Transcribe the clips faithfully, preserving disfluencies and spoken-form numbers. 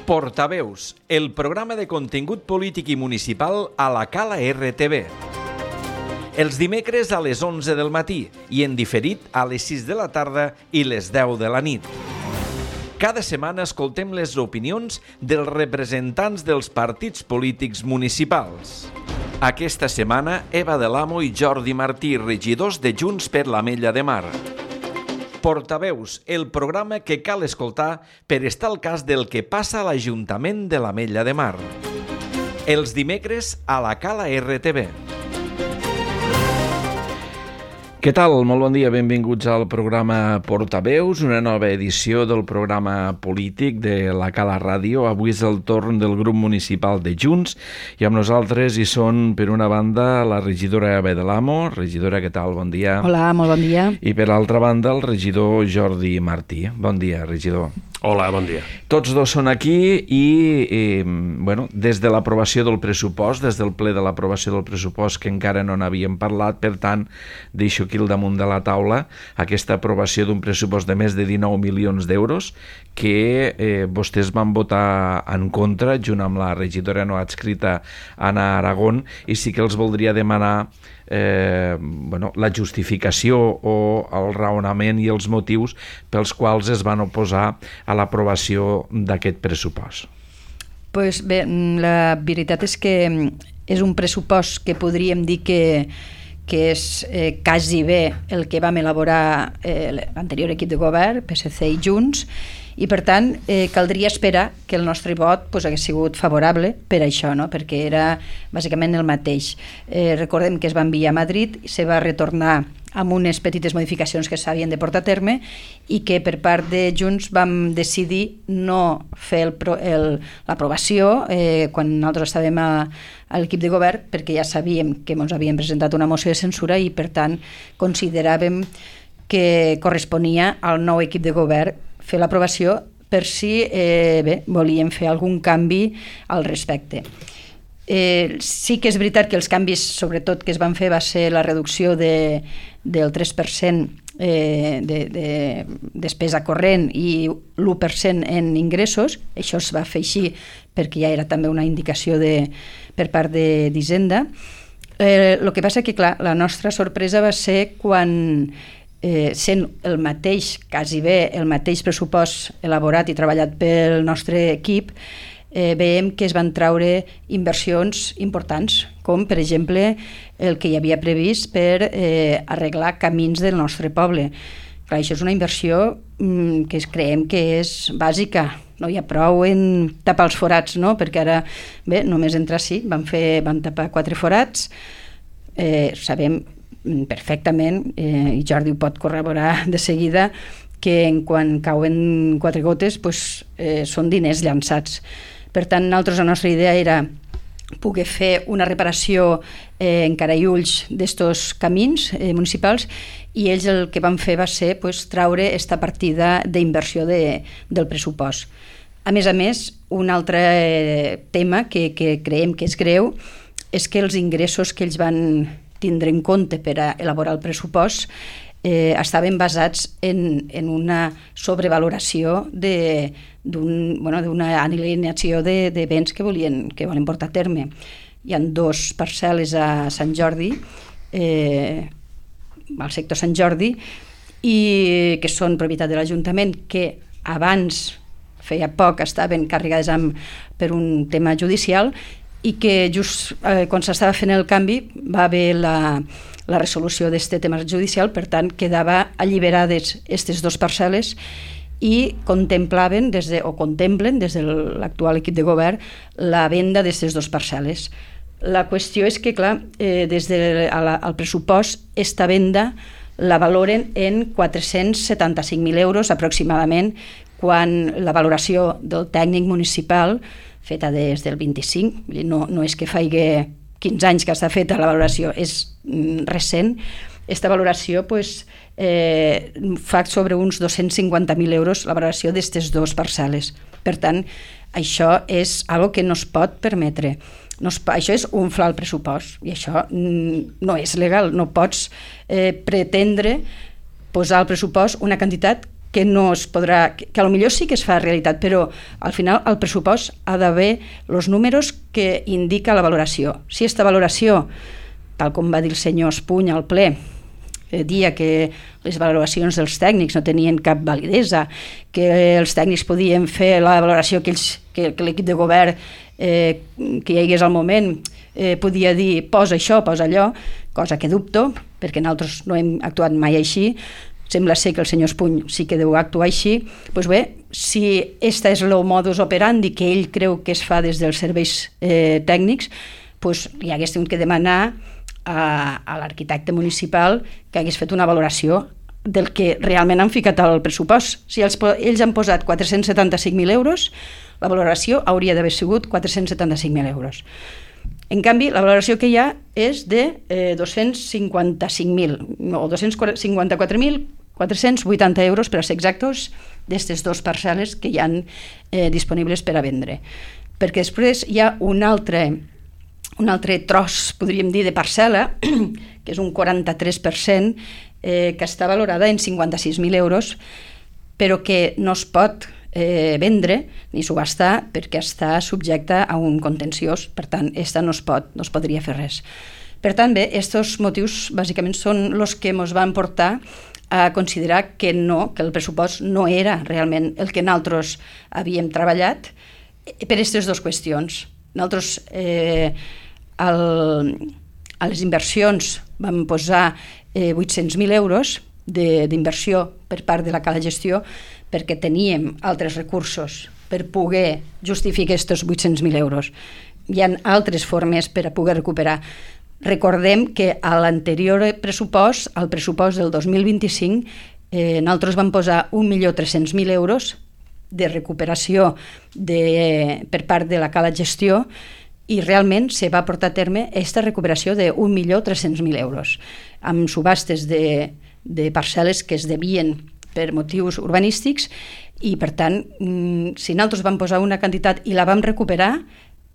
Portaveus, el programa de contingut polític i municipal a la Cala R T V. Els dimecres a les onze del matí i en diferit a les sis de la tarda i les deu de la nit. Cada setmana escoltem les opinions dels representants dels partits polítics municipals. Aquesta setmana, Eva de l'Amo i Jordi Martí, regidors de Junts per l'Ametlla de Mar. Portaveus, el programa que cal escoltar per estar al cas del que passa a l'Ajuntament de l'Ametlla de Mar. Els dimecres a la Cala R T V. Què tal? Molt bon dia, benvinguts al programa Portaveus, una nova edició del programa polític de la Cala Ràdio. Avui és el torn del grup municipal de Junts i amb nosaltres hi són, per una banda, la regidora Eva de l'Amo. Regidora, què tal? Bon dia. Hola, molt bon dia. I per l'altra banda, el regidor Jordi Martí. Bon dia, regidor. Hola, bon dia. Tots dos són aquí i, i bueno, des de l'aprovació del pressupost, des del ple de l'aprovació del pressupost, que encara no n'havíem parlat, per tant, deixo aquí al damunt de la taula aquesta aprovació d'un pressupost de més de dinou milions d'euros que eh, vostès van votar en contra, junt amb la regidora no adscrita Anna Aragón, i sí que els voldria demanar Eh, bueno, la justificació o el raonament i els motius pels quals es van oposar a l'aprovació d'aquest pressupost. Pues bé, la veritat és que és un pressupost que podríem dir que, que és eh, quasi bé el que vam elaborar eh, l'anterior equip de govern, P S C i Junts, i per tant eh, caldria esperar que el nostre vot pues, hagués sigut favorable per això, no? Perquè era bàsicament el mateix. Eh, recordem que es va enviar a Madrid i se va retornar amb unes petites modificacions que s'havien de portar a terme i que per part de Junts vam decidir no fer el, el, l'aprovació eh, quan nosaltres estàvem a, a l'equip de govern, perquè ja sabíem que ens havien presentat una moció de censura i per tant consideràvem que corresponia al nou equip de govern fer l'aprovació per si eh, bé, volíem fer algun canvi al respecte. Eh, sí que és veritat que els canvis, sobretot, que es van fer va ser la reducció de, del tres per cent eh, de, de despesa corrent i l'u per cent en ingressos. Això es va fer així perquè ja era també una indicació de, per part d'Hisenda. Eh, el que passa que, clar, la nostra sorpresa va ser quan Eh, sent el mateix, quasi bé el mateix pressupost elaborat i treballat pel nostre equip, eh, veiem que es van traure inversions importants, com per exemple el que hi havia previst per eh, arreglar camins del nostre poble. Clar, això és una inversió mm, que creiem que és bàsica. No hi ha prou en tapar els forats, no? Perquè ara, bé, només entrar sí, van, fer, van tapar quatre forats, eh, sabem perfectament, eh, i Jordi ho pot corroborar de seguida, que en quan cauen quatre gotes pues, eh, són diners llançats. Per tant, nosaltres la nostra idea era poder fer una reparació eh, en cara i ulls d'estos camins eh, municipals i ells el que van fer va ser pues, traure esta partida d'inversió de, del pressupost. A més a més, un altre eh, tema que, que creiem que és greu és que els ingressos que ells van tindre en compte per a elaborar el pressupost eh, estaven basats en, en una sobrevaloració de, d'un, bueno, d'una alineació de, de béns que volien, que volen portar a terme. Hi ha dos parcel·les a Sant Jordi, eh, al sector Sant Jordi, i que són propietat de l'Ajuntament, que abans, feia poc, estaven carregades amb, per un tema judicial, i que just eh, quan s'estava fent el canvi va haver la, la resolució d'aquest tema judicial, per tant quedava alliberades aquestes dues parcel·les i contemplaven des de, o contemplen des de l'actual equip de govern la venda d'aquestes dues parcel·les. La qüestió és que, clar, eh, des del pressupost esta venda la valoren en quatre-cents setanta-cinc mil euros aproximadament, quan la valoració del tècnic municipal feta des del vint-i-cinc, no, no és que faci quinze anys que està feta la valoració, és recent. Aquesta valoració pues, eh, fa sobre uns dos-cents cinquanta mil euros la valoració d'aquestes dues parcel·les. Per tant, això és algo que no es pot permetre. No es, això és inflar el pressupost i això no és legal. No pots eh, pretendre posar al pressupost una quantitat que no es podrà, que, que potser sí que es fa realitat, però al final el pressupost ha d'haver els números que indica la valoració. Si aquesta valoració, tal com va dir el senyor Espuny al ple, eh, dia que les valoracions dels tècnics no tenien cap validesa, que els tècnics podien fer la valoració que, ells, que, que l'equip de govern eh, que hi hagués al moment eh, podia dir posa això, posa allò, cosa que dubto, perquè nosaltres no hem actuat mai així. Sembla ser que el senyor Espuny sí que deu actuar així. Doncs bé, si este és el modus operandi que ell creu que es fa des dels serveis eh, tècnics, doncs li hagués tingut que demanar a, a l'arquitecte municipal que hagués fet una valoració del que realment han ficat al pressupost. Si els, ells han posat quatre-cents setanta-cinc mil euros, la valoració hauria d'haver sigut quatre-cents setanta-cinc mil euros. En canvi, la valoració que hi ha és de eh, dos-cents cinquanta-cinc mil o dos-cents cinquanta-quatre mil quatre-cents vuitanta euros, per a ser exactos, d'aquestes dues parcel·les que hi ha eh, disponibles per a vendre. Perquè després hi ha un altre, un altre tros, podríem dir, de parcel·la, que és un quaranta-tres per cent, eh, que està valorada en cinquanta-sis mil euros, però que no es pot eh, vendre ni subhastar perquè està subjecta a un contenciós, per tant, esta no es pot, no es podria fer res. Per tant, bé, aquests motius bàsicament són els que ens van portar a considerar que no, que el pressupost no era realment el que nosaltres havíem treballat per aquestes dues qüestions. Nosaltres eh, el, a les inversions vam posar eh, vuit-cents mil euros d'inversió per part de la Cala Gestió perquè teníem altres recursos per poder justificar aquests vuit-cents mil euros. Hi ha altres formes per a poder recuperar. Recordem que a l'anterior pressupost, al pressupost del dos mil vint-i-cinc, eh, nosaltres vam posar un milió tres-cents mil euros de recuperació de, per part de la Cala Gestió i realment se va portar a terme aquesta recuperació d'un milió tres-cents mil euros amb subhastes de, de parcel·les que es devien per motius urbanístics i, per tant, si nosaltres vam posar una quantitat i la vam recuperar,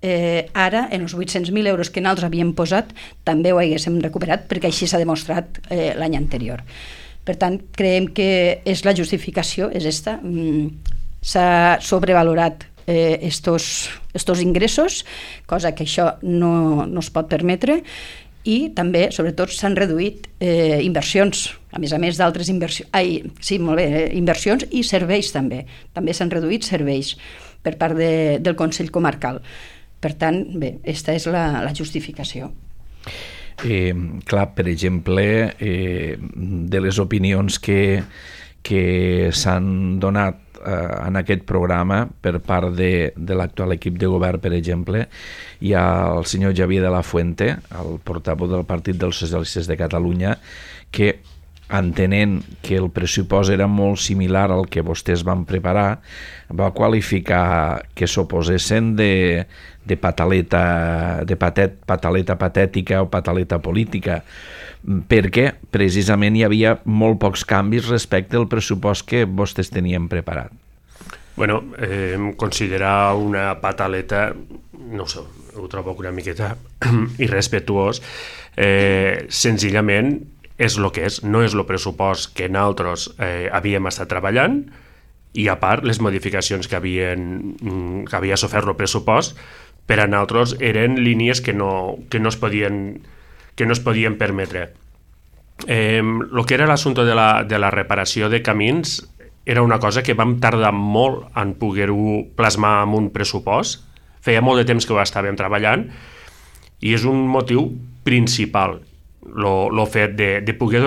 Eh, ara, en els vuit-cents mil euros que nosaltres havíem posat, també ho haguéssim recuperat, perquè així s'ha demostrat eh, l'any anterior. Per tant, creiem que és la justificació, és esta. Mm, s'ha sobrevalorat eh, estos, estos ingressos, cosa que això no, no es pot permetre, i també, sobretot, s'han reduït eh, inversions, a més a més d'altres inversions, ai, sí, molt bé, eh, inversions i serveis també. També s'han reduït serveis per part de, del Consell Comarcal. Per tant, bé, aquesta és la, la justificació. Eh, clar, per exemple, eh, de les opinions que, que s'han donat eh, en aquest programa per part de, de l'actual equip de govern, per exemple, hi ha el senyor Javier de la Fuente, el portaveu del Partit dels Socialistes de Catalunya, que entenent que el pressupost era molt similar al que vostès van preparar, va qualificar que s'oposessin de, de pataleta, de patet, pataleta patètica o pataleta política, perquè precisament hi havia molt pocs canvis respecte al pressupost que vostès tenien preparat. Bueno, eh, considerar una pataleta, no sé, ho trobo una miqueta irrespetuós, eh, senzillament és el que és, no és el pressupost que nosaltres eh, havíem estat treballant i a part les modificacions que, havien, que havia sofert el pressupost per a nosaltres eren línies que no, que no, es, podien, que no es podien permetre. Eh, el que era l'assumpte de, la, de la reparació de camins era una cosa que vam tardar molt en poder-ho plasmar en un pressupost. Feia molt de temps que ho estàvem treballant i és un motiu principal el fet de, de, poder,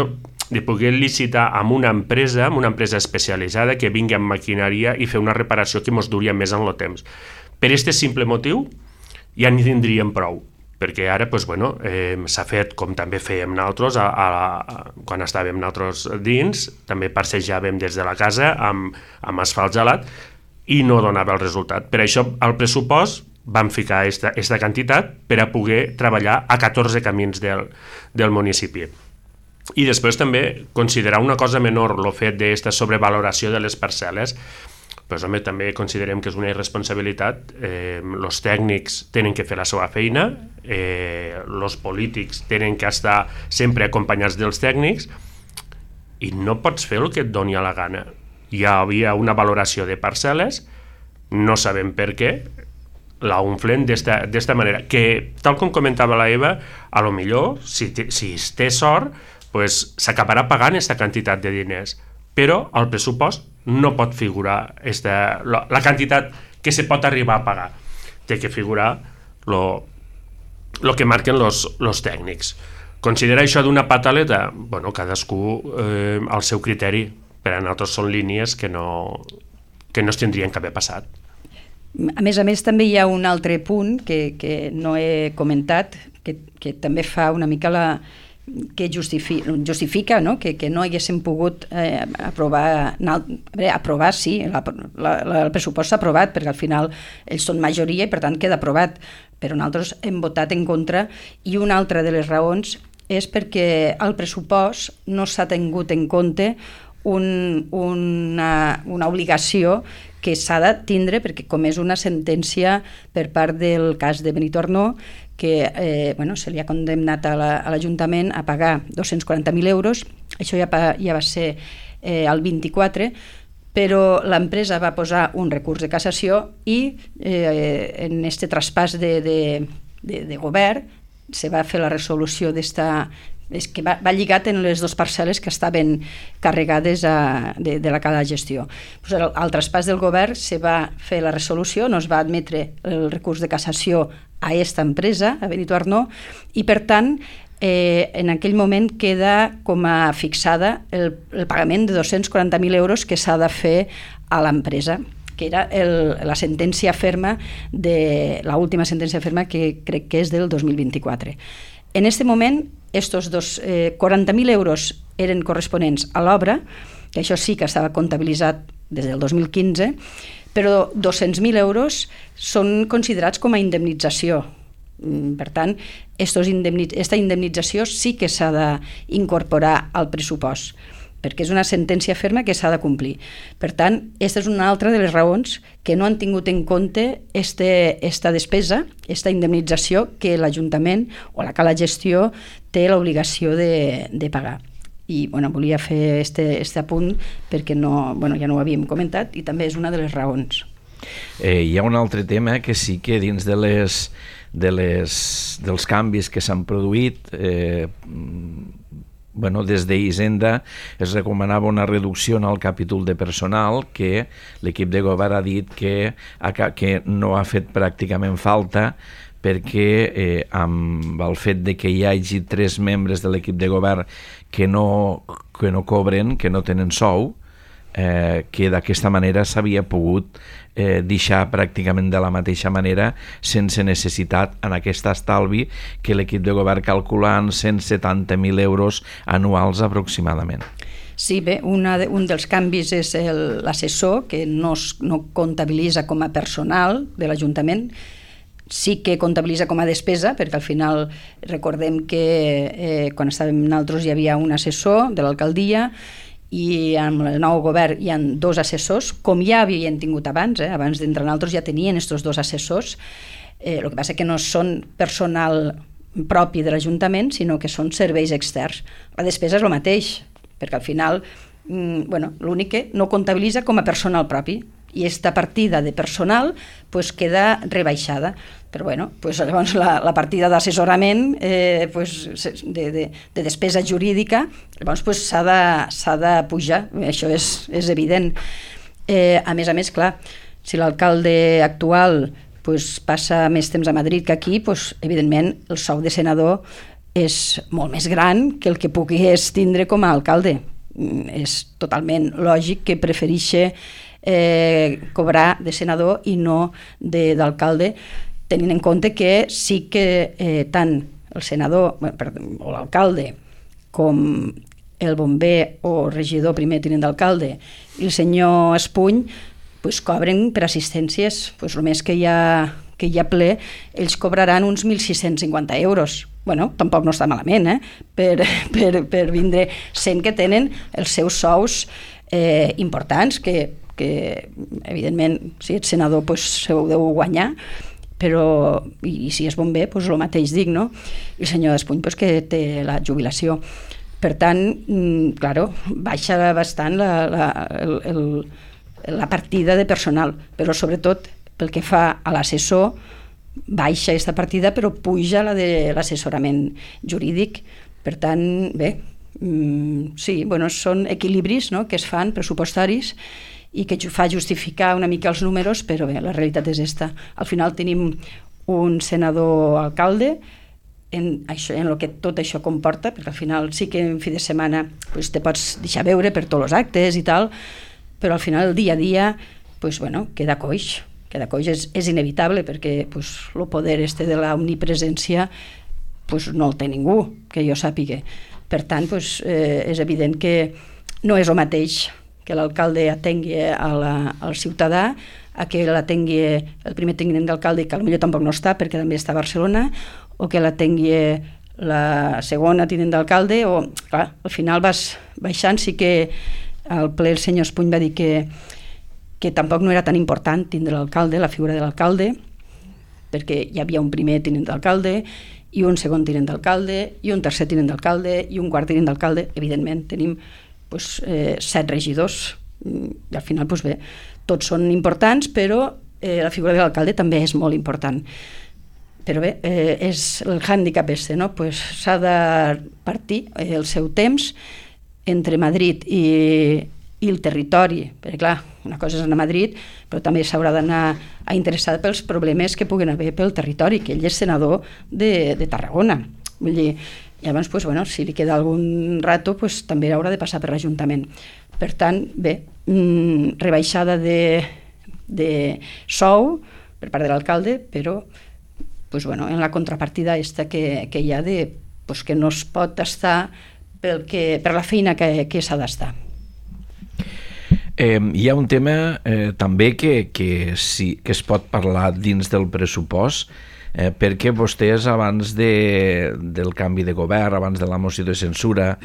de poder licitar amb una empresa, amb una empresa especialitzada que vingui amb maquinària i fer una reparació que ens duria més en el temps. Per aquest simple motiu ja n'hi tindríem prou, perquè ara pues, bueno, eh, s'ha fet com també fèiem nosaltres a, a, a, quan estàvem nosaltres dins, també passejàvem des de la casa amb, amb asfalt gelat i no donava el resultat. Per això el pressupost vam ficar aquesta, aquesta quantitat per a poder treballar a catorze camins del, del municipi. I després també considerar una cosa menor el fet d'aquesta sobrevaloració de les parcel·les, pues, home, també considerem que és una irresponsabilitat. Eh, els tècnics tenen que fer la seva feina, eh, els polítics tenen que estar sempre acompanyats dels tècnics i no pots fer el que et doni a la gana. hi havia una valoració de parcel·les, no sabem per què, la unflen d'esta manera, que tal com comentava la Eva, a lo millor, si, si es té sort, pues, s'acabarà pagant aquesta quantitat de diners, però al pressupost no pot figurar esta, la, la quantitat que se pot arribar a pagar. Té que figurar lo, lo que marquen los, los tècnics. Considera això d'una pataleta? Bueno, cadascú eh, al seu criteri. Per a nosaltres són línies que no, que no es tindrien que haver passat. A més a més, també hi ha un altre punt que, que no he comentat, que, que també fa una mica la... que justifica, justifica no? Que, que no haguéssim pogut eh, aprovar, bé, aprovar sí, la, la, la, el pressupost s'ha aprovat perquè al final ells són majoria i per tant queda aprovat, però nosaltres hem votat en contra, i una altra de les raons és perquè al pressupost no s'ha tingut en compte un, una, una obligació que s'ha de tindre, perquè com és una sentència per part del cas de Benito Arnó, que eh, bueno, se li ha condemnat a l'Ajuntament a pagar dos-cents quaranta mil euros, això ja, ja va ser eh, el vint-i-quatre, però l'empresa va posar un recurs de cassació i eh, en este traspàs de, de, de, de govern se va fer la resolució d'esta... és que va, va lligat en les dues parcel·les que estaven carregades a, de, de la cada gestió. Pues al, al traspàs del govern se va fer la resolució, no es va admetre el recurs de cassació a aquesta empresa, a Benito Arnó, i per tant eh, en aquell moment queda com a fixada el, el pagament de dos-cents quaranta mil euros que s'ha de fer a l'empresa, que era el, la sentència ferma, de l'última sentència ferma que crec que és del dos mil vint-i-quatre. En aquest moment, estos dos, eh, quaranta mil euros eren corresponents a l'obra, que això sí que estava comptabilitzat des del dos mil quinze, però dos-cents mil euros són considerats com a indemnització. Per tant, estos indemnit- esta indemnització sí que s'ha d'incorporar al pressupost, perquè és una sentència ferma que s'ha de complir. Per tant, aquesta és una altra de les raons que no han tingut en compte este, esta despesa, esta indemnització que l'Ajuntament o la Cala Gestió té l'obligació de, de pagar. I bueno, volia fer este, este apunt perquè no, bueno, ja no ho havíem comentat i també és una de les raons. Eh, hi ha un altre tema que sí que dins de les, de les, dels canvis que s'han produït, eh, bueno, des d'Hisenda es recomanava una reducció en el capítol de personal que l'equip de govern ha dit que, que no ha fet pràcticament falta perquè eh, amb el fet de que hi hagi tres membres de l'equip de govern que no, que no cobren, que no tenen sou, eh, que d'aquesta manera s'havia pogut eh, deixar pràcticament de la mateixa manera sense necessitat en aquest estalvi que l'equip de govern calcula en cent setanta mil euros anuals aproximadament. Sí, bé, una de, un dels canvis és l'assessor, que no, es, no comptabilitza com a personal de l'Ajuntament, sí que comptabilitza com a despesa, perquè al final recordem que eh, quan estàvem nosaltres hi havia un assessor de l'alcaldia i amb el nou govern hi ha dos assessors, com ja havien tingut abans, eh? Abans d'entrar nosaltres ja tenien aquests dos assessors, eh, el que passa que no són personal propi de l'Ajuntament, sinó que són serveis externs. La despesa és el mateix, perquè al final mm, bueno, l'únic que no comptabilitza com a personal propi, i aquesta partida de personal pues, queda rebaixada. Però bueno, pues, llavors la, la partida d'assessorament eh, pues, de, de, de despesa jurídica llavors pues, s'ha de, s'ha de pujar, això és, és evident. Eh, a més a més, clar, si l'alcalde actual pues, passa més temps a Madrid que aquí, pues, evidentment el sou de senador és molt més gran que el que pogués tindre com a alcalde. És totalment lògic que prefereixi eh, cobrar de senador i no d'alcalde, tenint en compte que sí que eh, tant el senador bueno, perdó, o l'alcalde com el bomber o regidor primer tinent d'alcalde i el senyor Espuny pues, cobren per assistències, pues, el més que hi ha, que hi ha ple, ells cobraran uns mil sis-cents cinquanta euros. Bueno, tampoc no està malament, eh? per, per, per vindre sent que tenen els seus sous eh, importants, que, que evidentment si ets senador pues, se ho deu guanyar, però i, i si és bomber, pues, el mateix dic, no? I el senyor Espuny pues, que té la jubilació. Per tant, claro, baixa bastant la, la, el, el, la partida de personal, però sobretot pel que fa a l'assessor, baixa aquesta partida però puja la de l'assessorament jurídic. Per tant, bé, sí, bueno, són equilibris, no?, que es fan pressupostaris i que fa justificar una mica els números, però bé, la realitat és esta. Al final tenim un senador alcalde en, això, en el que tot això comporta, perquè al final sí que en fi de setmana pues, te pots deixar veure per tots els actes i tal, però al final el dia a dia pues, bueno, queda coix, queda coix, és, és inevitable perquè pues, el poder este de la omnipresència pues, no el té ningú, que jo sàpiga. Per tant, pues, eh, és evident que no és el mateix que l'alcalde atengui a la, al ciutadà, a que l'atengui el primer tinent d'alcalde, que potser tampoc no està perquè també està a Barcelona, o que l'atengui la segona tinent d'alcalde, o clar, al final vas baixant. Sí que al ple el senyor Espuny va dir que, que tampoc no era tan important tindre l'alcalde, la figura de l'alcalde, perquè hi havia un primer tinent d'alcalde i un segon tinent d'alcalde i un tercer tinent d'alcalde i un quart tinent d'alcalde. Evidentment tenim pues, eh, set regidors i al final pues, bé, tots són importants, però eh, la figura de l'alcalde també és molt important. Però bé, eh, és el hàndicap este, no? Pues s'ha de partir eh, el seu temps entre Madrid i, i el territori, perquè clar, una cosa és anar a Madrid, però també s'haurà d'anar a interessar pels problemes que puguen haver pel territori, que ell és senador de, de Tarragona. Vull dir, llavors, pues, bueno, si li queda algun rato, pues, també haurà de passar per l'Ajuntament. Per tant, bé, mmm, rebaixada de, de sou per part de l'alcalde, però pues, bueno, en la contrapartida esta que, que hi ha de, pues, que no es pot estar pel que, per la feina que, que s'ha d'estar. Eh, hi ha un tema eh, també que, que, sí, que es pot parlar dins del pressupost, eh, perquè vostès abans de, del canvi de govern, abans de la moció de censura,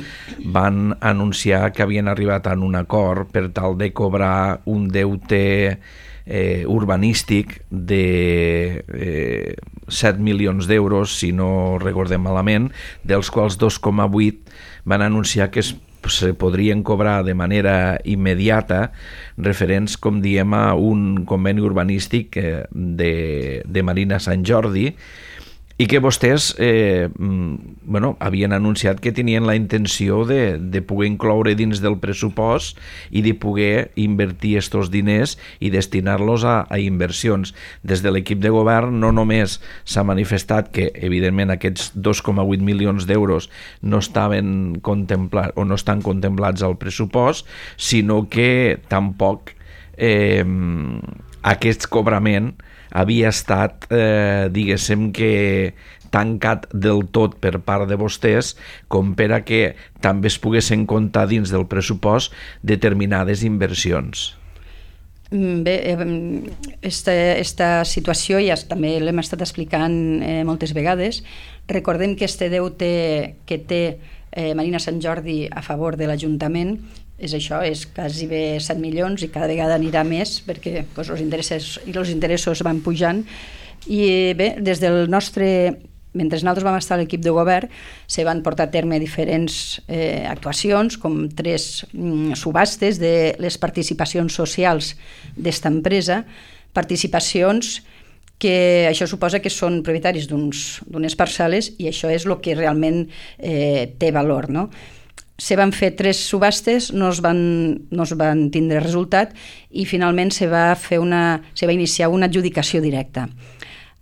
van anunciar que havien arribat a un acord per tal de cobrar un deute eh, urbanístic de eh, set milions d'euros, si no recordem malament, dels quals dos coma vuit van anunciar que es se podrien cobrar de manera immediata, referents, com diem, a un conveni urbanístic de, de Marina Sant Jordi, i que vostès eh, bueno, havien anunciat que tenien la intenció de, de poder incloure dins del pressupost i de poder invertir aquests diners i destinar-los a, a inversions. Des de l'equip de govern no només s'ha manifestat que, evidentment, aquests dos coma vuit milions d'euros no estaven contemplats o no estan contemplats al pressupost, sinó que tampoc eh, aquest cobrament havia estat, eh, diguéssim que tancat del tot per part de vostès, com per a que també es poguessin comptar dins del pressupost determinades inversions. Bé, esta, esta situació ja també l'hem estat explicant eh, moltes vegades. Recordem que este deute que té eh, Marina Sant Jordi a favor de l'Ajuntament és això, és quasi bé set milions i cada vegada anirà més perquè pues, els interessos i els interessos van pujant. I bé, des del nostre, mentre nosaltres vam estar a l'equip de govern, se van portar a terme diferents eh, actuacions, com tres mm, subhastes de les participacions socials d'esta empresa, participacions que això suposa que són propietaris d'unes parcel·les i això és el que realment eh, té valor, no? Se van fer tres subhastes, no es van, no es van tindre resultat i finalment se va, fer una, se va iniciar una adjudicació directa.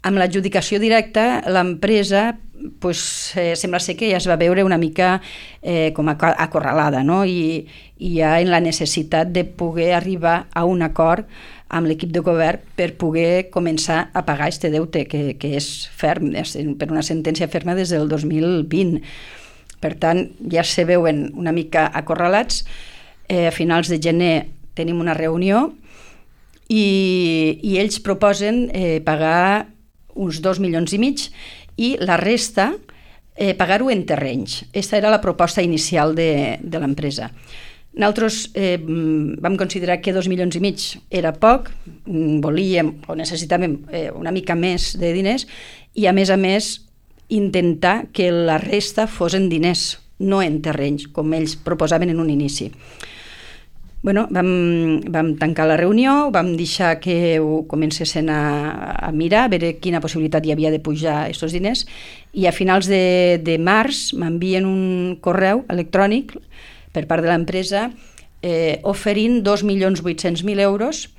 Amb l'adjudicació directa, l'empresa pues, eh, sembla ser que ja es va veure una mica eh, com acorralada, no? I, i ja en la necessitat de poder arribar a un acord amb l'equip de govern per poder començar a pagar aquest deute, que, que és ferm, és per una sentència ferma des del dos mil vint. Per tant, ja se veuen una mica acorralats. Eh, a finals de gener tenim una reunió i, i ells proposen eh, pagar uns dos milions i mig i la resta eh, pagar-ho en terrenys. Aquesta era la proposta inicial de, de l'empresa. Nosaltres eh, vam considerar que dos milions i mig era poc, volíem o necessitàvem eh, una mica més de diners i, a més a més, intentar que la resta fos en diners, no en terrenys, com ells proposaven en un inici. Bueno, vam, vam tancar la reunió, vam deixar que ho comencessin a, a mirar, a veure quina possibilitat hi havia de pujar aquests diners, i a finals de, de març m'envien un correu electrònic per part de l'empresa eh, oferint dos milions vuit-cents mil euros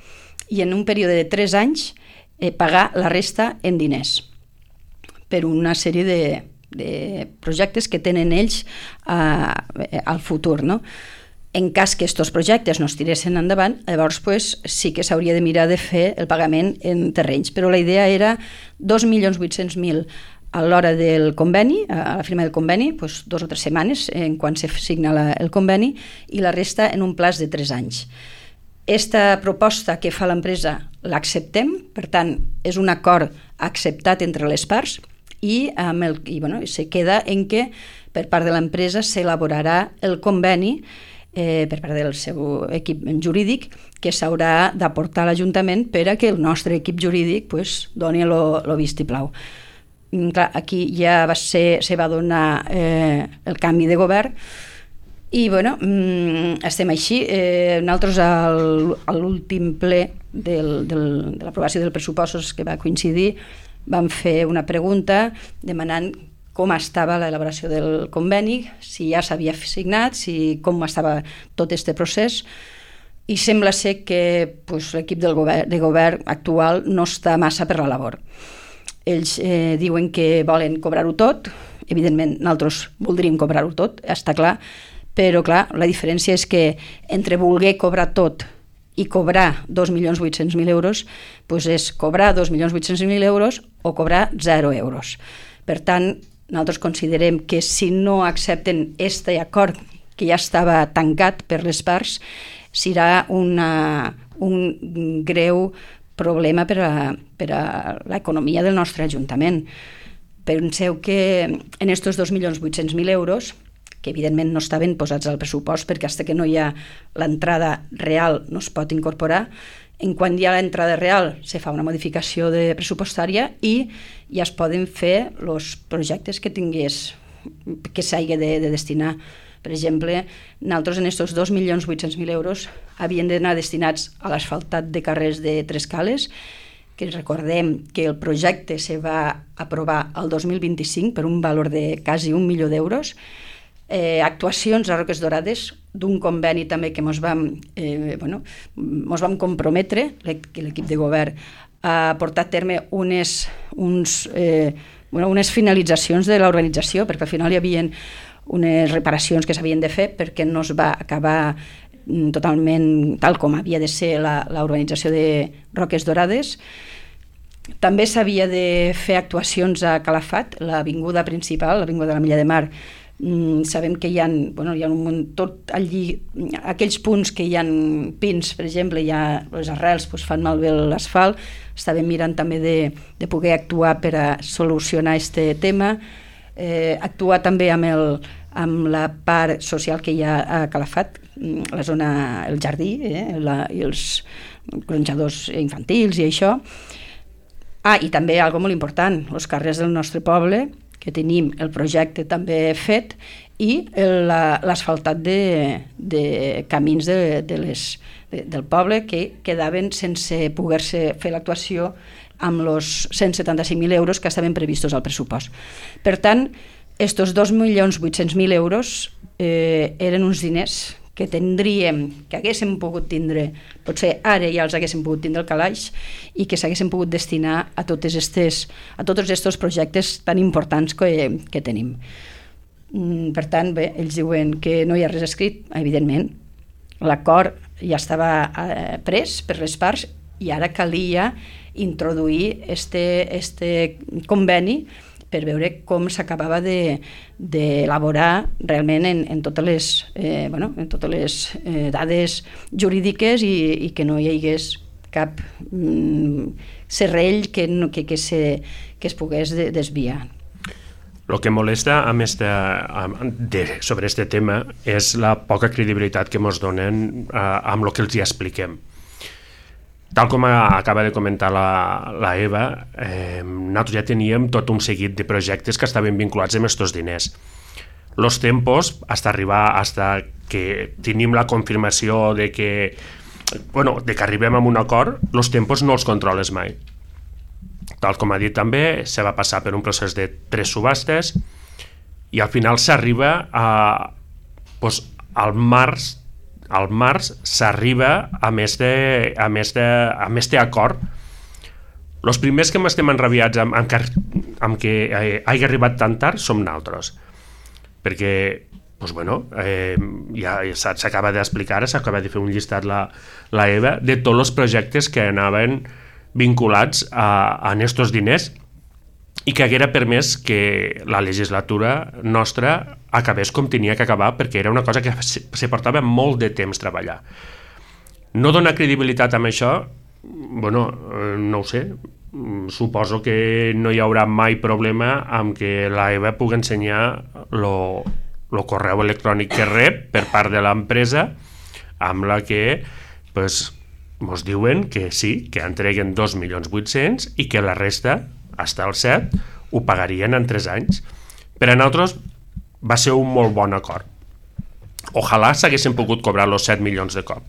i en un període de tres anys eh, pagar la resta en diners per una sèrie de, de projectes que tenen ells eh, al futur, no? En cas que aquests projectes no es tiressin endavant, llavors pues, sí que s'hauria de mirar de fer el pagament en terrenys. Però la idea era dos milions vuit-cents mil a l'hora del conveni, a la firma del conveni, pues, dos o tres setmanes en quan se signa la, el conveni, i la resta en un plaç de tres anys. Esta proposta que fa l'empresa l'acceptem, per tant, és un acord acceptat entre les parts i, amb el, i bueno, se queda en què per part de l'empresa s'elaborarà el conveni Eh, per part del seu equip jurídic que s'haurà d'aportar a l'Ajuntament per a que el nostre equip jurídic pues, doni el vistiplau. Clar, aquí ja va ser, se va donar eh, el canvi de govern i bueno, mm, estem així. Eh, nosaltres al, a l'últim ple del, del, de l'aprovació dels pressupostos que va coincidir vam fer una pregunta demanant com estava l'elaboració del conveni, si ja s'havia signat, si com estava tot aquest procés, i sembla ser que pues, l'equip del govern, de govern actual no està massa per la labor. Ells eh, diuen que volen cobrar-ho tot, evidentment nosaltres voldríem cobrar-ho tot, està clar, però clar, la diferència és que entre voler cobrar tot i cobrar dos milions vuit-cents mil euros pues és cobrar dos milions vuit-cents mil euros o cobrar zero euros. Per tant, nosaltres considerem que si no accepten aquest acord que ja estava tancat per les parts, serà una, un greu problema per a, per a l'economia del nostre Ajuntament. Penseu que en aquests dos milions vuit-cents mil euros, que evidentment no estaven posats al pressupost perquè fins que no hi ha l'entrada real no es pot incorporar, en quan hi ha l'entrada real se fa una modificació de pressupostària i ja es poden fer els projectes que tingués, que s'hagi de, de destinar. Per exemple, nosaltres en aquests dos milions vuit-cents mil euros havien d'anar destinats a l'asfaltat de carrers de Tres Cales, que recordem que el projecte se va aprovar el dos mil vint-i-cinc per un valor de quasi un milió d'euros, Eh, actuacions a Roques Dorades d'un conveni també que ens vam, eh, bueno, mos vam comprometre, l'equip de govern, a portar a terme unes, uns, eh, bueno, unes finalitzacions de l'organització, perquè al final hi havia unes reparacions que s'havien de fer perquè no es va acabar totalment tal com havia de ser l'organització de Roques Dorades. També s'havia de fer actuacions a Calafat, l'avinguda principal, l'avinguda de la Milla de Mar. Mm, sabem que hi ha, bueno, hi ha un, tot allí, aquells punts que hi ha pins, per exemple, hi ha les arrels, doncs fan malbé l'asfalt. Estàvem mirant també de, de poder actuar per a solucionar aquest tema, eh, actuar també amb, el, amb la part social que hi ha a Calafat, la zona, el jardí, eh, la, i els gronxadors infantils i això. Ah, i també algo molt important, els carrers del nostre poble, que tenim el projecte també fet, i l'asfaltat de, de camins de, de les, de, del poble que quedaven sense poder-se fer l'actuació amb els cent setanta-cinc mil euros que estaven previstos al pressupost. Per tant, aquests dos milions vuit-cents mil euros eh, eren uns diners que tindríem, que haguéssim pogut tindre, potser ara ja els haguéssim pogut tindre al calaix i que s'haguéssim pogut destinar a, totes estes, a tots aquests projectes tan importants que, que tenim. Per tant, bé, ells diuen que no hi ha res escrit, evidentment. L'acord ja estava eh, pres per les parts i ara calia introduir este, este conveni per veure com s'acabava d'elaborar de, realment en, en totes les, eh, bueno, en totes les eh, dades jurídiques i, i que no hi hagués cap mm, serrell que, no, que, que, se, que es pogués de, desviar. El que molesta amb esta, de, sobre aquest tema és la poca credibilitat que ens donen eh, amb el que els hi expliquem. Tal com acaba de comentar la, la Eva, eh, nosaltres ja teníem tot un seguit de projectes que estaven vinculats amb aquests diners. los tempos, hasta arribar, hasta que tenim la confirmació de que, bueno, de que arribem a un acord, los tempos no els controles mai. Tal com ha dit també, se va passar per un procés de tres subhastes i al final s'arriba a... Doncs, al març, al març s'arriba a més de, a més de, a més d'acord. Els primers que m'estem enrabiats amb, amb, que, amb que eh, hagi arribat tan tard som naltros, perquè doncs, bueno, eh, ja s'acaba d'explicar, s'acaba de fer un llistat la, la Eva de tots els projectes que anaven vinculats a, a estos diners i que haguera permès que la legislatura nostra acabés com tenia que acabar, perquè era una cosa que se portava molt de temps treballar. No donar credibilitat amb això, bueno, no ho sé, suposo que no hi haurà mai problema amb que la Eva pugui ensenyar lo, lo correu electrònic que rep per part de l'empresa amb la que pues, mos diuen que sí, que entreguen dos milions vuit-cents i que la resta, hasta el set, ho pagarien en tres anys. Per a nosaltres va ser un molt bon acord. Ojalà s'haguessin pogut cobrar els set milions de cop.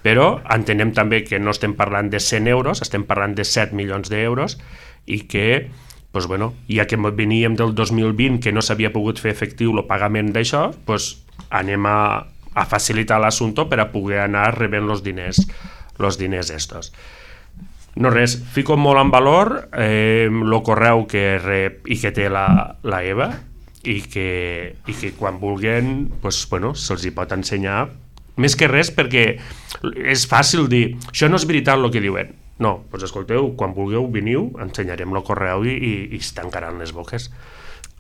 Però entenem també que no estem parlant de cent euros, estem parlant de set milions d'euros i que, pues bueno, ja que veníem del dos mil vint que no s'havia pogut fer efectiu el pagament d'això, pues anem a, a facilitar l'assumpte per a poder anar rebent els diners, els diners estos. No res, fico molt en valor eh, el correu que rep i que té la, la Eva i que, i que quan vulguin pues, bueno, se'ls hi pot ensenyar. Més que res perquè és fàcil dir, això no és veritat el que diuen. No, doncs escolteu, quan vulgueu veniu, ensenyarem el correu i, i, i es tancaran les boques.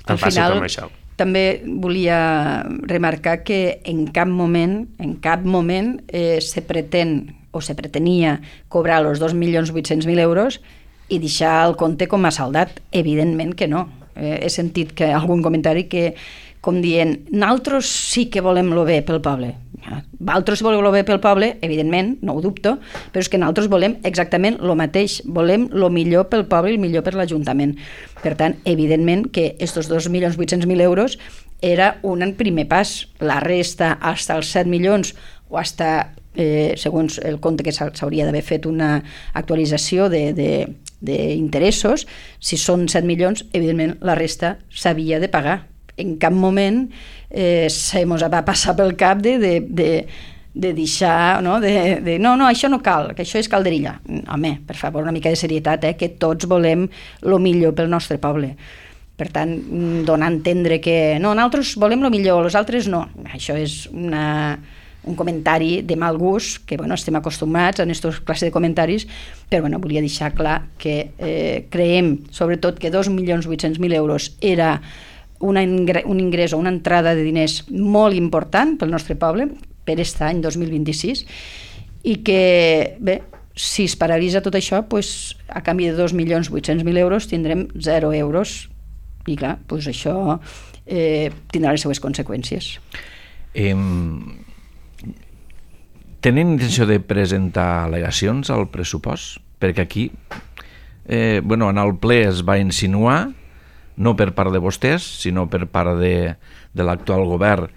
Tan Al fàcil final, com això. També volia remarcar que en cap moment, en cap moment eh, se pretén o se pretenia cobrar els dos milions vuit-cents mil euros i deixar el compte com a saldat. Evidentment que no. Eh, he sentit que algun comentari que com dient, nosaltres sí que volem lo bé pel poble. Vosaltres voleu lo bé pel poble, evidentment, no ho dubto, però és que nosaltres volem exactament el mateix. Volem lo millor pel poble i el millor per l'Ajuntament. Per tant, evidentment que aquests dos milions vuit-cents mil euros era un primer pas. La resta, fins als set milions o fins eh, segons el compte que s'hauria d'haver fet una actualització d'interessos, si són set milions, evidentment la resta s'havia de pagar. En cap moment eh, se mos va passar pel cap de, de, de, de deixar, no? De, de, no, no, això no cal, que això és calderilla. Home, per favor, una mica de serietat, eh? Que tots volem el millor pel nostre poble. Per tant, donar a entendre que no, nosaltres volem el millor, els altres no. Això és una, un comentari de mal gust, que bueno, estem acostumats a aquesta classe de comentaris, però bueno, volia deixar clar que eh, creiem, sobretot, que dos milions vuit-cents mil euros era Una ingre, un ingrés o una entrada de diners molt important pel nostre poble per aquest any dos mil vint-i-sis i que, bé, si es paralitza tot això, pues, a canvi de dos milions vuit-cents mil euros tindrem zero euros i clar, pues això eh, tindrà les seues conseqüències. Eh, tenen intenció de presentar al·legacions al pressupost? Perquè aquí, eh, bueno, en el ple es va insinuar, no per part de vostès, sinó per part de, de l'actual govern,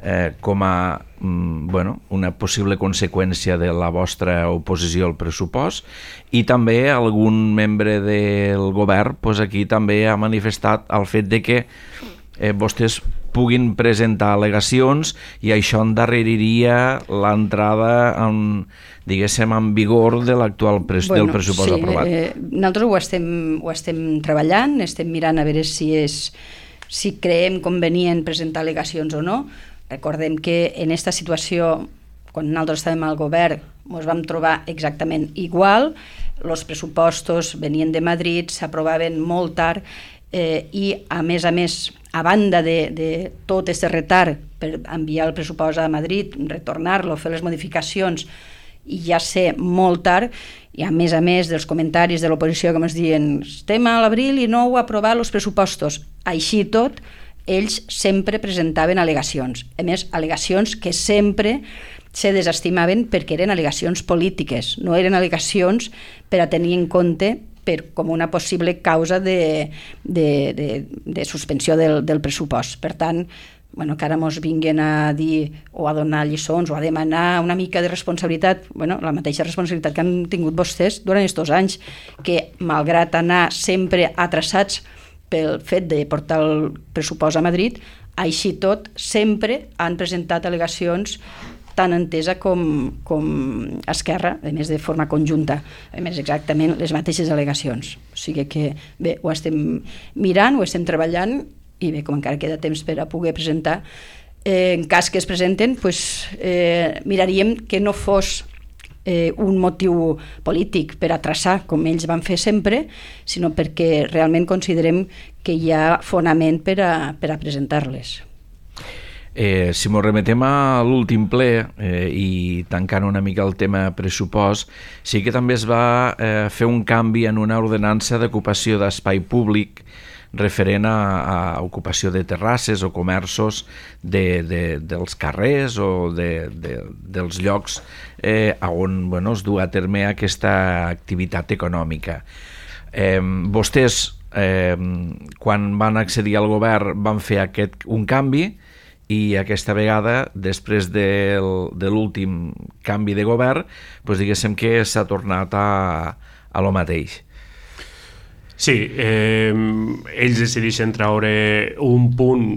eh, com a mm, bueno, una possible conseqüència de la vostra oposició al pressupost, i també algun membre del govern pues, aquí també ha manifestat el fet de que eh, vostès puguin presentar al·legacions i això endarreriria l'entrada en, diguéssim, en vigor de l'actual pres bueno, del pressupost sí, aprovat. Eh, nosaltres ho estem, ho estem treballant, estem mirant a veure si, és, si creiem convenient presentar al·legacions o no. Recordem que en aquesta situació, quan nosaltres estàvem al govern, ens vam trobar exactament igual, els pressupostos venien de Madrid, s'aprovaven molt tard, eh, i a més a més, a banda de, de tot aquest retard per enviar el pressupost a Madrid, retornar-lo, fer les modificacions i ja ser molt tard, i a més a més dels comentaris de l'oposició que ens diuen estem a l'abril i no heu aprovat els pressupostos. Així tot, ells sempre presentaven al·legacions. A més, al·legacions que sempre se desestimaven perquè eren al·legacions polítiques, no eren al·legacions per a tenir en compte per, com una possible causa de, de, de, de suspensió del, del pressupost. Per tant, bueno, que ara mos vinguin a dir o a donar lliçons o a demanar una mica de responsabilitat, bueno, la mateixa responsabilitat que han tingut vostès durant aquests anys, que malgrat anar sempre atrasats pel fet de portar el pressupost a Madrid, així tot sempre han presentat al·legacions tant Entesa com, com Esquerra, a més de forma conjunta, a més exactament les mateixes al·legacions. O sigui que bé, ho estem mirant, ho estem treballant i bé, com encara queda temps per a poder presentar, eh, en cas que es presenten, pues, eh, miraríem que no fos eh, un motiu polític per a traçar, com ells van fer sempre, sinó perquè realment considerem que hi ha fonament per a, per a presentar-les. Eh, si ens remetem a l'últim ple eh, i tancant una mica el tema pressupost, sí que també es va eh, fer un canvi en una ordenança d'ocupació d'espai públic referent a, a ocupació de terrasses o comerços de, de, dels carrers o de, de, dels llocs eh, on bueno, es du a terme aquesta activitat econòmica. Eh, vostès, eh, quan van accedir al govern, van fer aquest, un canvi, i aquesta vegada, després del, de l'últim canvi de govern, doncs diguéssim que s'ha tornat a, a lo mateix. Sí, eh, ells decideixen treure un punt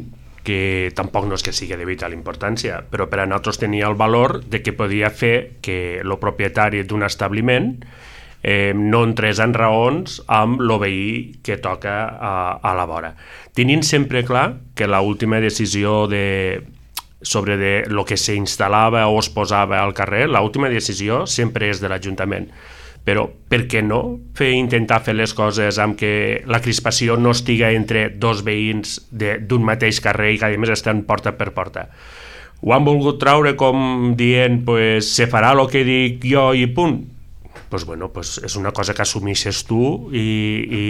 que tampoc no és que sigui de vital importància, però per a nosaltres tenia el valor de que podia fer que el propietari d'un establiment eh, no entrés en raons amb el veí que toca a, a la vora. Tenint sempre clar que l'última decisió de, sobre de lo que s'instal·lava o es posava al carrer, l'última decisió sempre és de l'Ajuntament. Però per què no fer, intentar fer les coses amb que la crispació no estiga entre dos veïns d'un mateix carrer i que a més estan porta per porta? Ho han volgut traure com dient pues, se farà el que dic jo i punt. Pues bueno, pues és una cosa que assumeixes tu i, i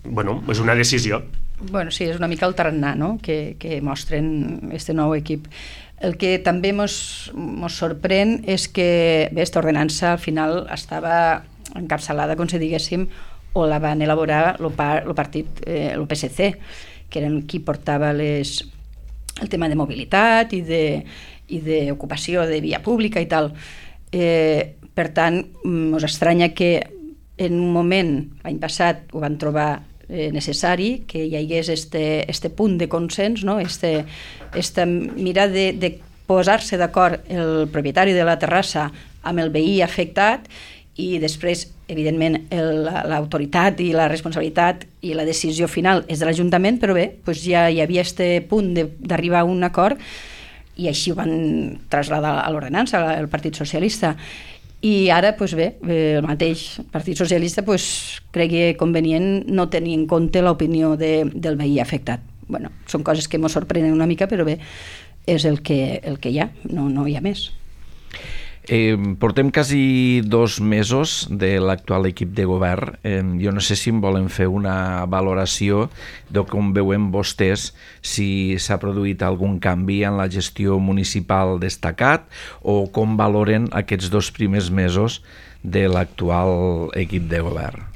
bueno, és una decisió. Bueno, sí, és una mica el tarannà, no?, que, que mostren este nou equip. El que també mos, mos sorprèn és que bé, aquesta ordenança al final estava encapçalada, com si diguéssim, o la van elaborar el, par, el partit, eh, el P S C, que eren qui portava les, el tema de mobilitat i de, i d'ocupació de via pública i tal. Eh, per tant, us estranya que en un moment, l'any passat, ho van trobar eh, necessari, que hi hagués este, este punt de consens, no? este, esta mira de, de posar-se d'acord el propietari de la terrassa amb el veí afectat i després, evidentment, l'autoritat i la responsabilitat i la decisió final és de l'Ajuntament, però bé, doncs ja hi havia este punt d'arribar a un acord i així ho van traslladar a l'ordenança, al Partit Socialista. I ara, doncs bé, el mateix Partit Socialista doncs, cregui convenient no tenir en compte l'opinió de, del veí afectat. Bueno, són coses que ens sorprenen una mica, però bé, és el que, el que hi ha, no, no hi ha més. Eh, portem quasi dos mesos de l'actual equip de govern. Eh, jo no sé si em volen fer una valoració de com veuen vostès si s'ha produït algun canvi en la gestió municipal destacat o com valoren aquests dos primers mesos de l'actual equip de govern.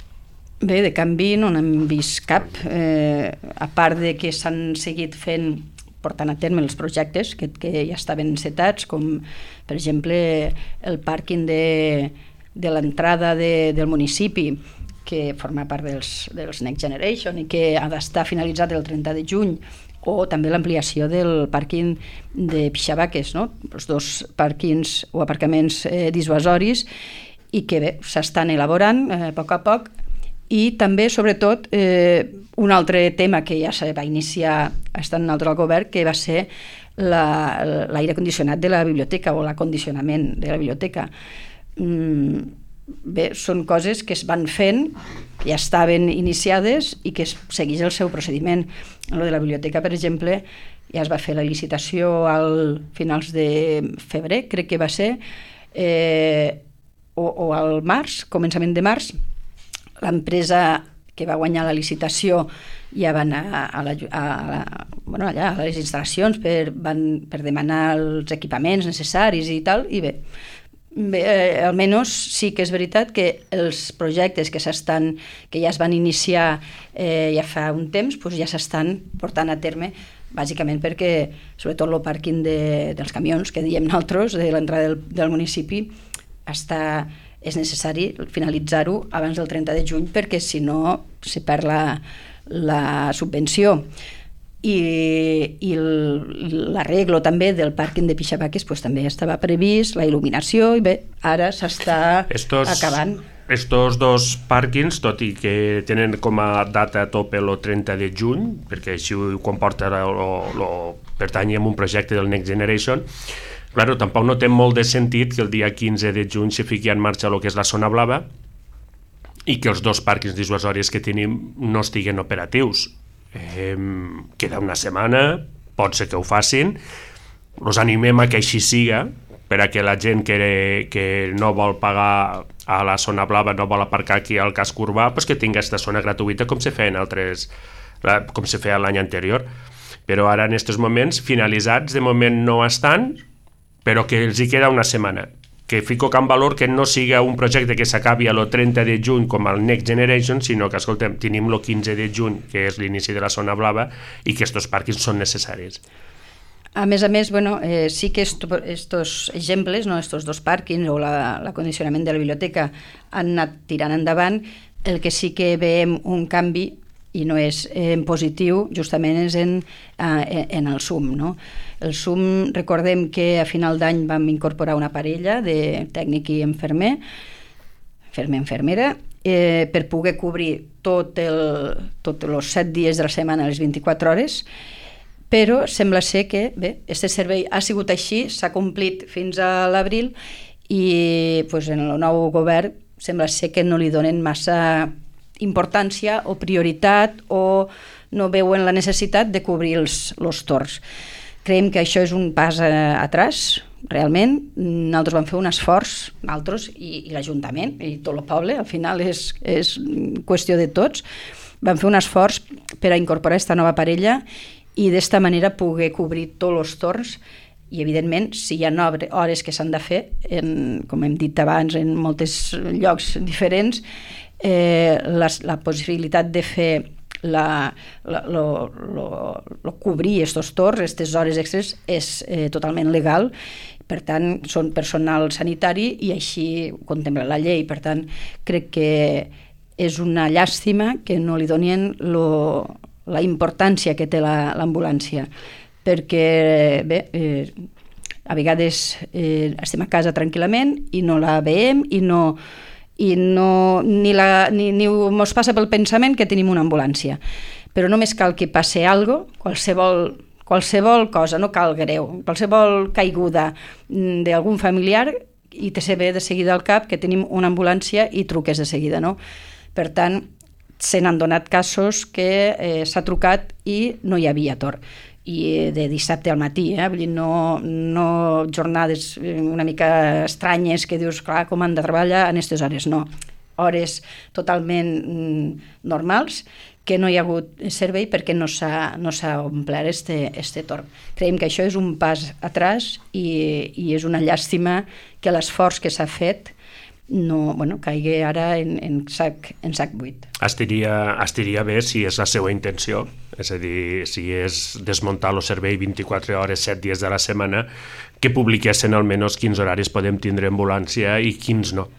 Bé, de canvi no n'hem vist cap, eh, a part de que s'han seguit fent portant a terme els projectes que, que ja estaven encetats, com per exemple el pàrquing de, de l'entrada de, del municipi, que forma part dels, dels Next Generation i que ha d'estar finalitzat el trenta de juny, o també l'ampliació del pàrquing de Pixabaques, no? Els dos pàrquings o aparcaments eh, dissuasoris i que bé, s'estan elaborant eh, a poc a poc. I també, sobretot, eh, un altre tema que ja se va iniciar estant nosaltres al govern, que va ser l'aire condicionat de la biblioteca o l'acondicionament de la biblioteca. Mm, bé, són coses que es van fent, que ja estaven iniciades i que es segueix el seu procediment. En lo de la biblioteca, per exemple, ja es va fer la licitació al finals de febrer, crec que va ser, eh, o, o al març, començament de març. L'empresa que va guanyar la licitació ja va anar a, la, a, la, bueno, allà, a les instal·lacions per, van, per demanar els equipaments necessaris i tal, i bé, bé eh, almenys sí que és veritat que els projectes que s'estan, que ja es van iniciar eh, ja fa un temps, doncs ja s'estan portant a terme bàsicament perquè, sobretot el pàrquing de, dels camions, que diem nosaltres, de l'entrada del, del municipi, està, és necessari finalitzar-ho abans del trenta de juny, perquè si no se perd la, la subvenció. I, i l'arreglo també del pàrquing de Pixabaques pues, també estava previst, la il·luminació, i bé, ara s'està Estos... acabant. Estos dos pàrquings, tot i que tenen com a data a tope el trenta de juny, perquè així ho comporta el pertany a un projecte del Next Generation, claro, tampoc no té molt de sentit que el dia quinze de juny se fiqui en marxa el que és la zona blava i que els dos pàrquings dissuasoris que tenim no estiguen operatius. Eh, queda una setmana, pot ser que ho facin, els animem a que així siga, per a que la gent que, que no vol pagar a la zona blava, no vol aparcar aquí al casc urbà, pues que tingui aquesta zona gratuïta com se feia en altres, com se feia l'any anterior. Però ara en aquests moments finalitzats de moment no estan, però que els hi queda una setmana. Que fico en valor que no siga un projecte que s'acabi el trenta de juny com el Next Generation, sinó que, escoltem, tenim el quinze de juny, que és l'inici de la zona blava, i que aquests pàrquings són necessaris. A més a més, bueno, eh, sí que estos exemples, no, estos dos pàrquings o l'acondicionament de la biblioteca han anat tirant endavant. El que sí que veiem un canvi, i no és en positiu, justament és en, eh, en el S U M. No? El S U M, recordem que a final d'any vam incorporar una parella de tècnic i infermer, infermer-infermera, eh, per poder cobrir tot el, tots els set dies de la setmana, les vint-i-quatre hores, però sembla ser que bé, aquest servei ha sigut així, s'ha complit fins a l'abril i pues, en el nou govern sembla ser que no li donen massa importància o prioritat o no veuen la necessitat de cobrir els, els torns. Creiem que això és un pas a, atrás, realment. Nosaltres vam fer un esforç, nosaltres i, i l'Ajuntament i tot el poble, al final és, és qüestió de tots, vam fer un esforç per a incorporar aquesta nova parella i d'esta manera poder cobrir tots els torns i, evidentment, si hi ha hores que s'han de fer, en, com hem dit abans, en molts llocs diferents, eh, la, la possibilitat de fer la, la, lo, lo, lo cobrir aquests torns, aquestes hores extres, és eh, totalment legal. Per tant, són personal sanitari i així ho contempla la llei. Per tant, crec que és una llàstima que no li donin lo la importància que té l'ambulància, perquè bé, eh, a vegades eh, estem a casa tranquil·lament i no la veiem i no, i no ni, la, ni, ni ens passa pel pensament que tenim una ambulància, però només cal que passi alguna cosa, qualsevol, qualsevol cosa, no cal greu, qualsevol caiguda d'algun familiar i te se ve de seguida al cap que tenim una ambulància i truques de seguida, no? Per tant, se n'han donat casos que eh, s'ha trucat i no hi havia torn. I de dissabte al matí, eh? Vull dir, no, no jornades una mica estranyes que dius, clar, com han de treballar en aquestes hores, no. Hores totalment mm, normals, que no hi ha hagut servei perquè no s'ha no s'ha omplert este, este torn. Creiem que això és un pas atrás i, i és una llàstima que l'esforç que s'ha fet no, bueno, caigui ara en, en, sac, en sac buit. Estaria, estaria bé si és la seva intenció, és a dir, si és desmuntar el servei vint-i-quatre hores, set dies de la setmana, que publiquessin almenys quins horaris podem tindre ambulància i quins no.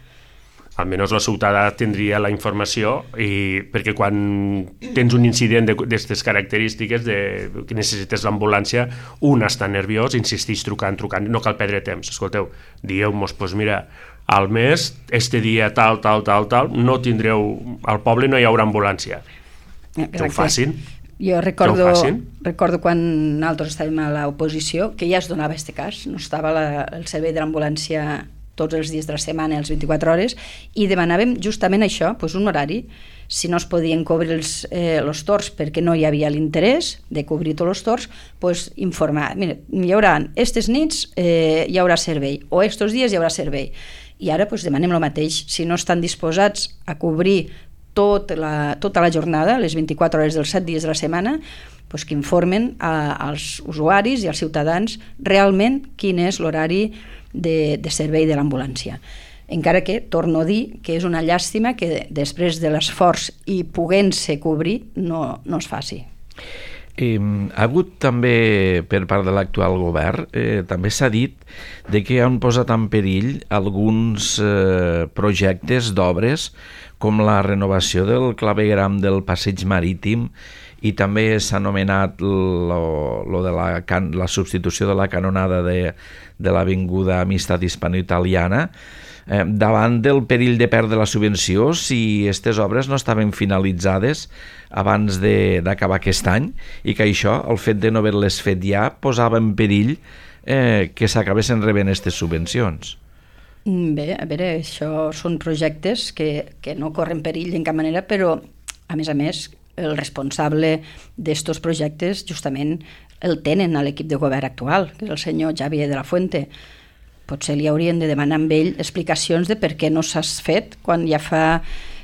Almenys la ciutadà tindria la informació, i perquè quan tens un incident d'aquestes característiques de, que necessites l'ambulància, un està nerviós, insisteix trucant, trucant, no cal perdre temps. Escolteu, dieu-nos, doncs mira, al mes, este dia tal, tal, tal, tal, no tindreu, al poble no hi haurà ambulància. Exacte. Que ho facin. Jo recordo, recordo quan nosaltres estàvem a l'oposició que ja es donava aquest cas, no estava la, el servei de l'ambulància tots els dies de la setmana, les vint-i-quatre hores, i demanàvem justament això, doncs un horari, si no es podien cobrir els, eh, els torns perquè no hi havia l'interès de cobrir tots els torns, doncs informar, mira, hi haurà aquestes nits, eh, hi haurà servei, o aquests dies hi haurà servei. I ara doncs, demanem el mateix, si no estan disposats a cobrir tot la, tota la jornada, les vint-i-quatre hores dels set dies de la setmana, doncs que informen a, als usuaris i als ciutadans realment quin és l'horari de, de servei de l'ambulància. Encara que, torno a dir, que és una llàstima que després de l'esforç i podent-se cobrir no, no es faci. Eh, ha hagut també, per part de l'actual govern, eh, també s'ha dit de que han posat en perill alguns eh, projectes d'obres com la renovació del clavegram del passeig marítim, i també s'ha anomenat lo, lo de la, can, la substitució de la canonada de, de l'Avinguda Amistat Hispano-Italiana, eh, davant del perill de perdre la subvenció si aquestes obres no estaven finalitzades abans d'acabar aquest any, i que això, el fet de no haver-les fet ja, posava en perill eh, que s'acabessin rebent aquestes subvencions. Bé, a veure, això són projectes que, que no corren perill en cap manera, però, a més a més, el responsable d'estos projectes justament el tenen a l'equip de govern actual, que és el senyor Xavier de la Fuente. Potser li haurien de demanar amb ell explicacions de per què no s'has fet quan ja fa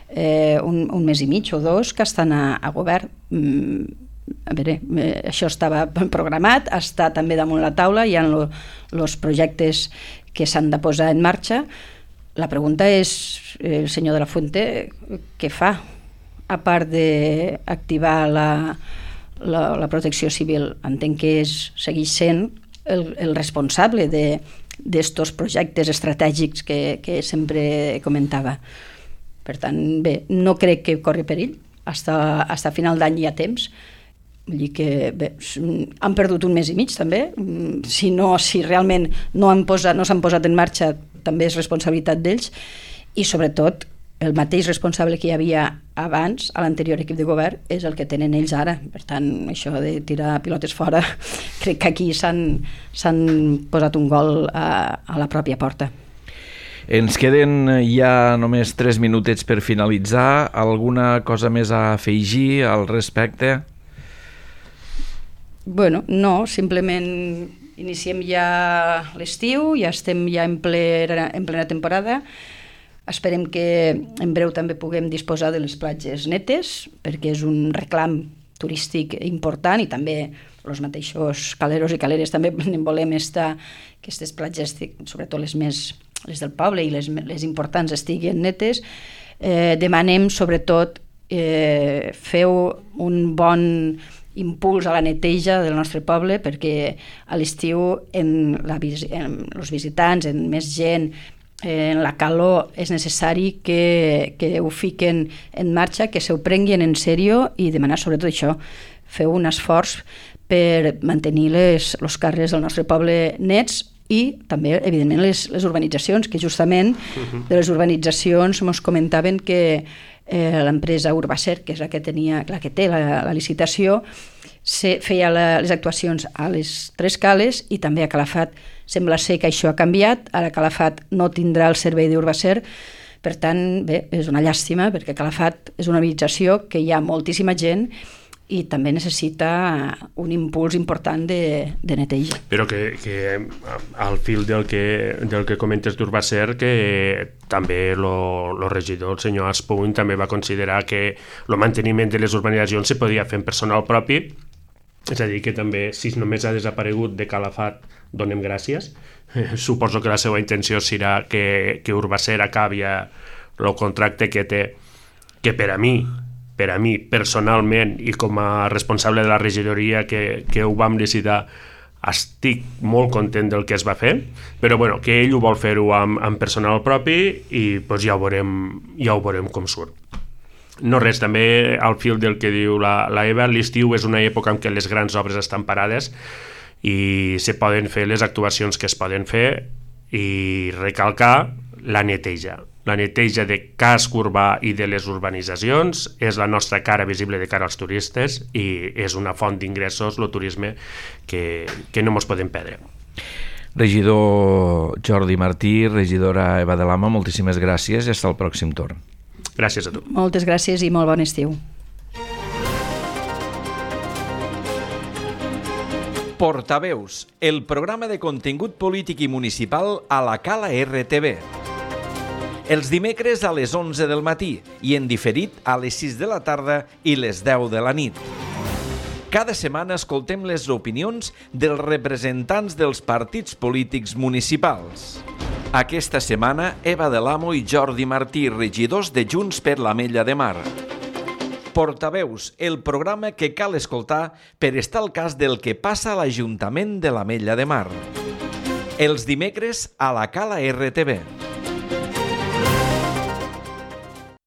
eh, un, un mes i mig o dos que estan a, a govern. Mm, a veure, eh, això estava programat, està també damunt la taula, hi ha els projectes que s'han de posar en marxa. La pregunta és, el senyor de la Fuente, què fa? A part d'activar la, la, la protecció civil, entenc que és, segueix sent el, el responsable de d'estos projectes estratègics que, que sempre comentava. Per tant, bé, no crec que corri perill. Hasta, hasta final d'any hi ha temps. Vull dir que bé, han perdut un mes i mig també. Si no, si realment no han posat, no s'han posat en marxa, també és responsabilitat d'ells, i sobretot el mateix responsable que hi havia abans a l'anterior equip de govern és el que tenen ells ara. Per tant, això de tirar pilotes fora, crec que aquí s'han posat un gol a, a la pròpia porta. Ens queden ja només tres minutets per finalitzar. Alguna cosa més a afegir al respecte? Bueno, no, simplement iniciem ja l'estiu, ja estem ja en plena, en plena temporada. Esperem que en breu també puguem disposar de les platges netes, perquè és un reclam turístic important, i també els mateixos caleros i caleres també en volem estar, que aquestes platges, sobretot les més les del poble i les, les importants, estiguin netes. Eh, demanem sobretot eh, feu un bon impuls a la neteja del nostre poble, perquè a l'estiu en, la, en els visitants, en més gent, en la calor, és necessari que, que ho fiquen en marxa, que s'ho prenguin en sèrio, i demanar sobretot això, feu un esforç per mantenir les, els carrers del nostre poble nets, i també, evidentment, les, les urbanitzacions, que justament de les urbanitzacions ens comentaven que eh, l'empresa Urbacer, que és la que, tenia, la que té la, la licitació, se, feia la, les actuacions a les tres cales, i també a Calafat. Sembla ser que això ha canviat, ara Calafat no tindrà el servei d'Urbacer. Per tant, bé, és una llàstima, perquè Calafat és una urbanització que hi ha moltíssima gent i també necessita un impuls important de, de neteja. Però que, que al fil del que, del que comentes d'Urbacer, que també el regidor, el senyor Aspuny, també va considerar que el manteniment de les urbanitzacions se podia fer en personal propi, és a dir, que també, si només ha desaparegut de Calafat, donem gràcies. Suposo que la seva intenció serà que, que Urbacer acabi el contracte que té, que per a mi, per a mi personalment i com a responsable de la regidoria que, que ho vam decidir, estic molt content del que es va fer, però bueno, que ell ho vol fer-ho amb, amb personal propi, i pues, ja, ho veurem, ja ho veurem com surt. No res, també al fil del que diu la, la Eva, l'estiu és una època en què les grans obres estan parades i se poden fer les actuacions que es poden fer, i recalcar la neteja. La neteja de casc urbà i de les urbanitzacions és la nostra cara visible de cara als turistes, i és una font d'ingressos, el turisme, que, que no ens podem perdre. Regidor Jordi Martí, regidora Eva de Lama, moltíssimes gràcies i fins al pròxim torn. Gràcies a tu. Moltes gràcies i molt bon estiu. Portaveus, el programa de contingut polític i municipal a la Cala R T V. Els dimecres a les onze del matí i en diferit a les sis de la tarda i les deu de la nit. Cada setmana escoltem les opinions dels representants dels partits polítics municipals. Aquesta setmana, Eva de l'Amo i Jordi Martí, regidors de Junts per l'Ametlla de Mar. Portaveus, el programa que cal escoltar per estar al cas del que passa a l'Ajuntament de l'Ametlla de Mar. Els dimecres a la Cala R T V.